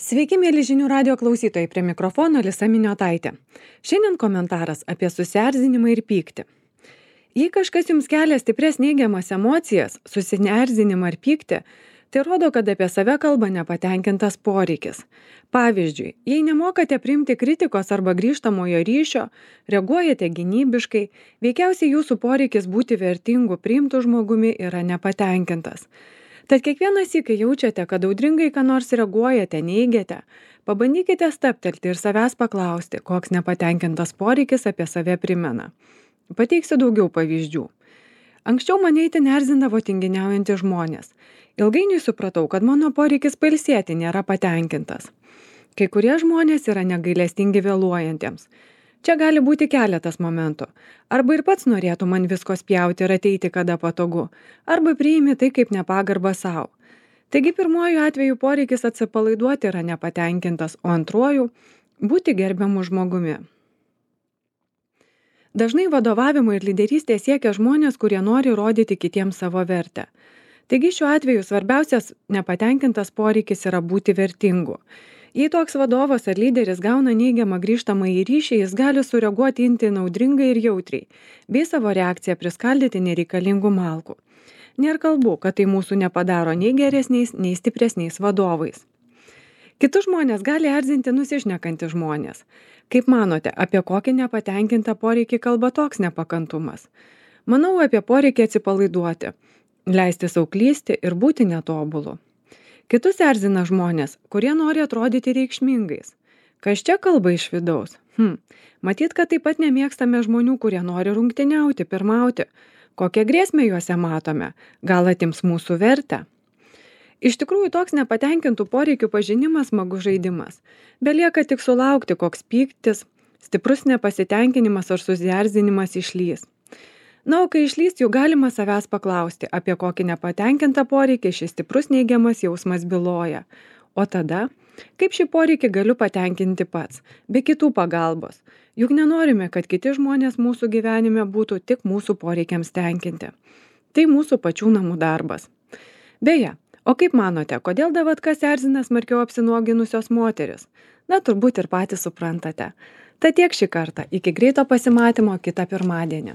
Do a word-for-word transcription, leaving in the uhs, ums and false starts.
Sveiki, mėly žinių radio klausytojai, prie mikrofono Lisa Miniotaitė. Šiandien komentaras apie susierzinimą ir pyktį. Jei kažkas jums kelia stipres neigiamas emocijas, susierzinimą ar pyktį, tai rodo, kad apie save kalba nepatenkintas poreikis. Pavyzdžiui, jei nemokate priimti kritikos arba grįžtamojo ryšio, reaguojate gynybiškai, veikiausiai jūsų poreikis būti vertingu priimtų žmogumi yra nepatenkintas. Tad kiekvieną sykį jaučiate, kad audringai ką nors reaguojate, neigiate, pabandykite stabtelti ir savęs paklausti, koks nepatenkintas poreikis apie save primena. Pateiksiu daugiau pavyzdžių. Anksčiau mane itin erzindavo tinginiaujantys žmonės. Ilgainiui supratau, kad mano poreikis pailsėti nėra patenkintas. Kai kurie žmonės yra negailestingi vėluojantiems. Čia gali būti keletas momentų. Arba ir pats norėtų man visko spjauti ir ateiti kada patogu, arba priimi tai kaip nepagarbą savo. Taigi pirmuoju atveju poreikis atsipalaiduoti yra nepatenkintas, o antruoju – būti gerbiamu žmogumi. Dažnai vadovavimo ir lyderystės siekia žmonės, kurie nori rodyti kitiems savo vertę. Taigi šiuo atveju svarbiausias nepatenkintas poreikis yra būti vertingu. Jei toks vadovas ar lyderis gauna neigiamą grįžtamąjį ryšį, jis gali sureaguoti itin audringai ir jautriai, bei savo reakciją priskaldyti nereikalingų malkų. Nėra kalbų, kad tai mūsų nepadaro nei geresniais, nei stipresniais vadovais. Kitus žmonės gali erzinti nusišnekantys žmonės. Kaip manote, apie kokį nepatenkintą poreikį kalba toks nepakantumas? Manau apie poreikį atsipalaiduoti, leisti sau klysti ir būti netobulu. Kitus erzina žmonės, kurie nori atrodyti reikšmingais. Kas čia kalba iš vidaus? Hm, matyt, kad taip pat nemėgstame žmonių, kurie nori rungtyniauti, pirmauti. Kokią grėsmę juose matome? Gal atims mūsų vertę? Iš tikrųjų, toks nepatenkintų poreikių pažinimas smagus žaidimas. Belieka tik sulaukti, koks pyktis, stiprus nepasitenkinimas ar susierzinimas išlys. Na, o kai išlys, jau galima savęs paklausti, apie kokį nepatenkintą poreikį šis stiprus neigiamas jausmas byloja. O tada, kaip šį poreikį galiu patenkinti pats, be kitų pagalbos. Juk nenorime, kad kiti žmonės mūsų gyvenime būtų tik mūsų poreikiams tenkinti. Tai mūsų pačių namų darbas. Beje, o kaip manote, kodėl davatkas erzina smarkiau apsinuoginusios moteris? Na, turbūt ir patys suprantate. Tad tiek šį kartą, iki greito pasimatymo kitą pirmadienį.